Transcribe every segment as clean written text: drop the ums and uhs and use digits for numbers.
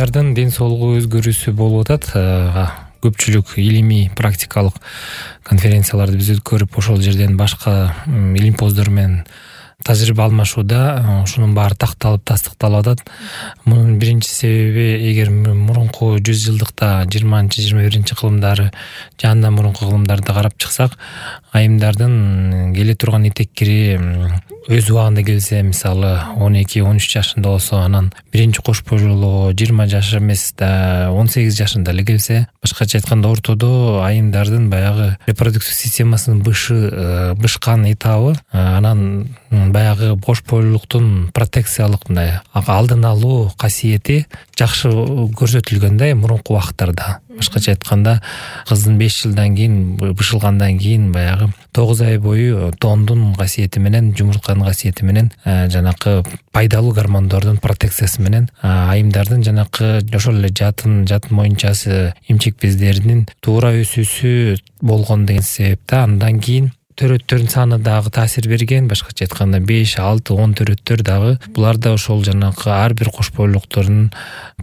айымдардын ден соолугу өзгөрүүсү болуп атат. Көпчүлүк илимий практикалык конференцияларды биз өткөрүп ошол жерден башка илимпоздор менен тажрыйба алмашууда ушунун баары такталып тастыкталып атат. Мунун биринчи себеби, эгер мурунку 100 жылдыкта 20-21 кылымдары же андан мурунку кылымдарды карап чыксак, айымдардын келе турган этеккири өз убагында келсе, мисалы 12-13 жашында болсо, анан биринчи кош бойлуулугу 20 жаш эмес да 18 жашында эле келсе, башкача айтканда ортодо айымдардын баягы репродуктив системасынын бышкан этабы, анан баягы кош бойлуулуктун протекциялык мындай алдын алуу касиети жакшы көрсөтүлгөн да мурунку убакыттарда. Башкача айтканда, кыздын 5 жылдан кийин бышылгандан кийин баягы 9 ай бою тондун касиети менен, жумуртканын касиети менен, жанакы пайдалуу гормондордун протекциясы менен айымдардын жанакы ошол эле жатын моюнчасы, имчек бездеринин туура өсүүсү болгон деген себепте андан кийин төрөттөрдүн саны дагы таасир берген. Башкача айтканда 5, 6, 10 төрөттөр дагы булар да ошол жанакы ар бир кош бойлуулуктардын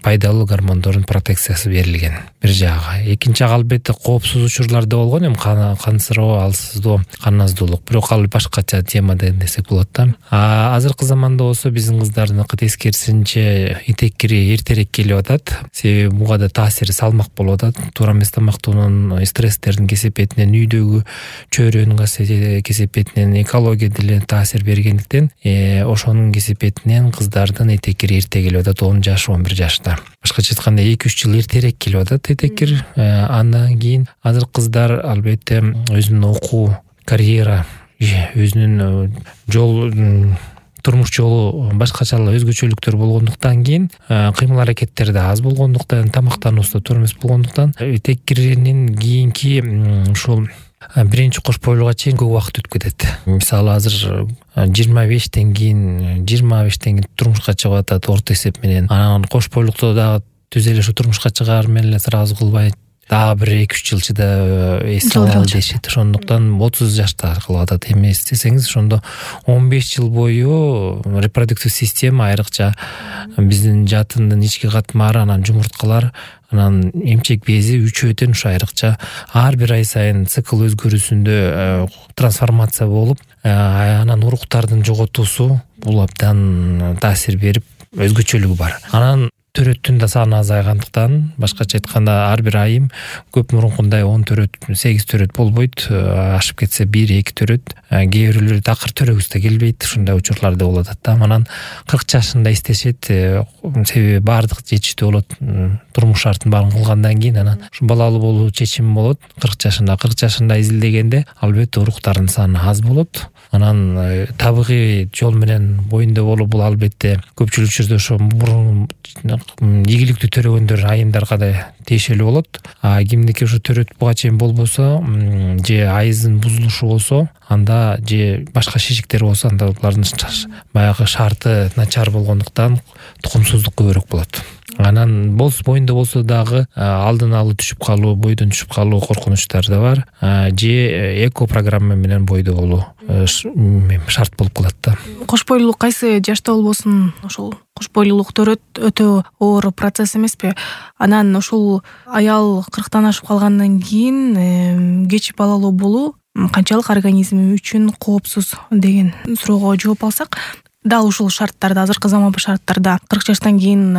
пайдалуу гормондордун протекциясы берилген. Бир жагы. Экинчи жагы албетте коопсуз учурларда болгон, кансыроо, алсыздоо, кан аздуулук. Бирок ал башкача тема десек болот да. Азыркы заманда болсо биздин кыздардыкы тескерисинче этеккири эртерээк келип атат. Себеби буга да таасири салмак болуп атат. Туура эмес тамактоонун, стресстердин кесепетинен, үйдөгү чөйрөнүн кесепетинен, экология деле таасир бергендиктен, ошонун кесепетинен кыздардын этеккири эрте келип атат, 10 жаш, 11 жашта. Башкача айтканда 2-3 жыл эртерээк келип атат этеккир. Андан кийин азыр кыздар албетте өзүнүн окуу, карьера, өзүнүн турмуш жолу башкачалык өзгөчөлүктөр болгондуктан кийин, кыймыл аракеттери да аз болгондуктан, тамактануусу да туура эмес болгондуктан, этеккиринин кийинки ушул биринчи кош бойлууга чейин көп убакыт өтүп кетет. Мисалы азыр 25тен кийин турмушка чыгып атат орто эсеп менен. Анан кош бойлукта дагы түз эле ушу турмушка чыгаар менен эле сразу кылбай, дагы бир 2-3 жыл чыда эс алалы дешет. Ошондуктан 30 жашта кылып атат. Эмес десеңиз, ошондо 15 жыл бою репродуктив система, айрыкча биздин жатындын ички катмары, анан жумурткалар, анан эмчек бези үчөөтөн ушу айрыкча ар бир ай сайын цикл өзгөрүүсүндө трансформация болуп, анан уруктардын жоготуусу бул абдан таасир берип, өзгөчөлүгү бар. Анан төрөттүн да саны азайгандыктан, башкача айтканда ар бир айым көп мурункундай 10 төрөт, 8 төрөт болбойт, ашып кетсе 1-2 төрөт, кээ бирөөлөр такыр төрөгүс да келбейт, ушундай учурлар да болот да. Анан 40 жашында истешет, себеби баардык жетиштүү болот, турмуш шартын баарын кылгандан кийин анан ушу балалуу болуу чечими болот. 40 жашында изилдегенде албетте уруктардын саны аз болот. Анан табигый жол менен боюнда болуу, бул албетте көпчүлүк жерде ошо мурун ийгиликтүү төрөгөндөр айымдарга да тиешелүү болот. Кимдики ошо төрөт буга чейин болбосо, же айыздын бузулушу болсо, анда же башка шишиктер болсо, анда булардын баягы шарты начар болгондуктан тукумсуздук көбүрөөк болот. Анан боюнда болсо дагы алдын алы түшүп калуу, бойдон түшүп калуу коркунучтары да бар. Же эко программа менен бойдо болуу шарт болуп калат да. Кош бойлуулук кайсы жашта болбосун, ошол кош бойлуулук төрөт өтө оор процесс эмеспи? Анан ошол аял 40тан ашып калгандан кийин кеч балалуу болуу канчалык организм үчүн коопсуз деген суроого жооп алсак, дал ушул шарттарда, азыркы заманбы шарттарда 40 жаштан кийин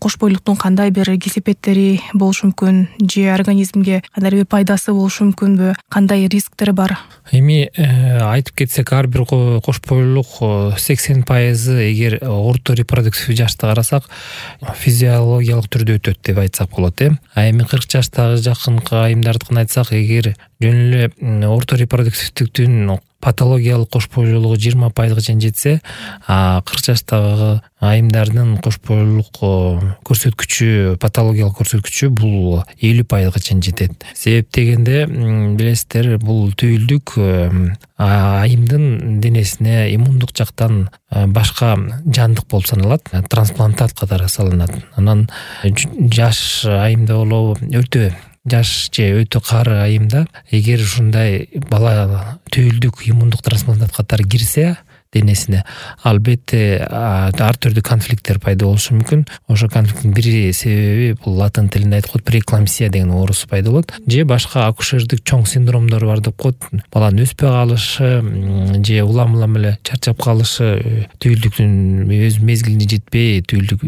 кош бойлуулуктун кандай бир кесепеттери болушу мүмкүн, же организмге кандай бир пайдасы болушу мүмкүнбү, кандай рисктери бар? Эми айтып кетсек, ар бир кош бойлуулук 80% эгер орто репродуктив жашты карасак, физиологиялык түрдө өтөт деп айтсак болот. Эми 40 жаштагы жакынкы айымдардыкын айтсак, эгер жөн эле орто репродуктивдиктин патологиялык кош бойлуулугу 20%га чейин жетсе, 40 жаштагы айымдардын кош бойлуулук көрсөткүчү, патологиялык көрсөткүчү бул 50%га чейин жетет. Себеп дегенде, билесиздер, бул түйүлдүк айымдын денесине иммундук жактан башка жандык болуп саналат, трансплантат катары салынат. Анан жаш айымда болобу, жаш же өтө кары айымда эгер ушундай бала түйүлдүк иммундук трансплантат катары кирсе, денесине, албетте ар түрдүү конфликттер пайда болушу мүмкүн. Ошо конфликттин бир себеби бул латын тилинде айткыла преэклампсия деген оорусу пайда болот, же башка акушердик чоң синдромдор бар деп коет. Баланын өспөй калышы же улам эле чарчап калышы, түйүлдүктүн өз мезгилине жетпей, түйүлдүк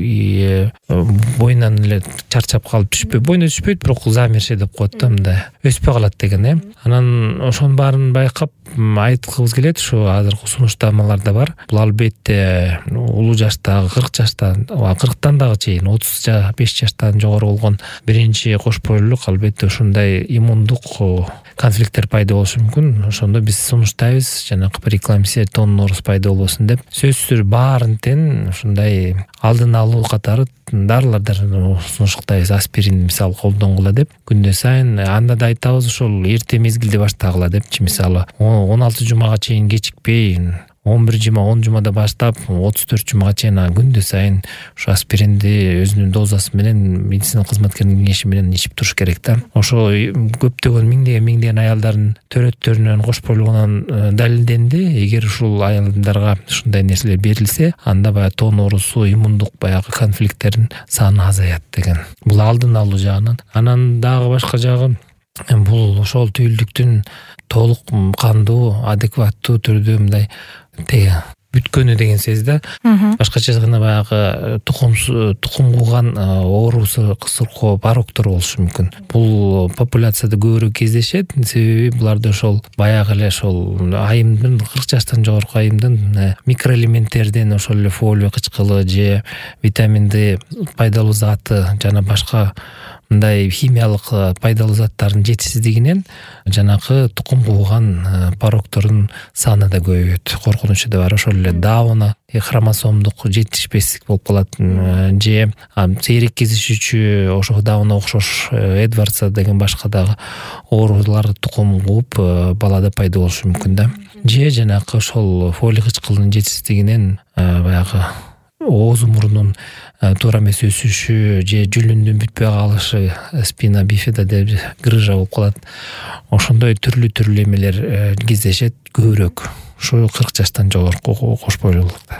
боюнан эле чарчап калып түшпөй, боюна түшпөйт, бирок замерши деп коет да, мындай өспөй калат деген. Анан ошонун баарын байкап айткыбыз келет. Ушу азыркы сунуштамаларда бар. Бул албетте улуу жаштагы 40 жаштан, 40тан дагы чейин 35 жаштан жогору болгон биринчи кош бойлуулук албетте ушундай иммундук конфликттер пайда болушу мүмкүн. Ошондо биз сунуштайбыз, жанагы преэклампсия, тонн оорус пайда болбосун деп. Сөзсүз баарын тең ушундай алдын алуу катары дарылардан сунуштайбыз. Аспирин мисалы колдонгула деп, күндө сайын. Анда да айтабыз ошол эрте мезгилде баштагыла депчи. Мисалы 16 жумага чейин кечикпей, 11 жума, 10 жумада баштап 34 жумага чейин күндө сайын ушу аспиринди өзүнүн дозасы менен медицина кызматкеринин кеңеши менен ичип туруш керек да. Ошо көптөгөн миңдеген аялдардын төрөттөрүнөн кош бойлуулугунан далилденди. Эгер ушул аялдарга ушундай нерселер берилсе, анда баягы тонн оорусу, иммундук баягы конфликттердин саны азаят деген. Бул алдын алуу жагынан. Анан дагы башка жагы бул ошол түйүлдүктүн толук кандуу, адекваттуу түрдө мындай бүткөнү деген сөз да. Башкача айтканда баягы тукум кууган оорусу, кысыркоо, пароктор болушу мүмкүн. Бул популяцияда көбүрөөк кездешет. Себеби буларда ошол баягы эле ошол айымдын 40 жаштан жогорку айымдын микроэлементтердин, ошол эле фолий кычкылы же витамин D пайдалуу заты жана башка мындай химиялык пайдалуу заттардын жетишсиздигинен жанагы тукум кууган пароктордун саны да көбөйөт. Коркунучу да бар. Ошол эле Дауна хромосомдук жетишпестик болуп калат, же сейрек кездешүүчү ошо Дауна окшош Эдвардса деген башка дагы оорулар тукум кууп балада пайда болушу мүмкүн да. Же жанагы ошол фолий кычкылынын жетишсиздигинен баягы ооз мурунун туура эмес өсүшү же жүлүндүн бүтпөй калышы, спина бифида деп грыжа болуп калат. Ошондой түрлүү эмелер кездешет көбүрөөк ушу 40 жаштан жогорку кош бойлуулукта.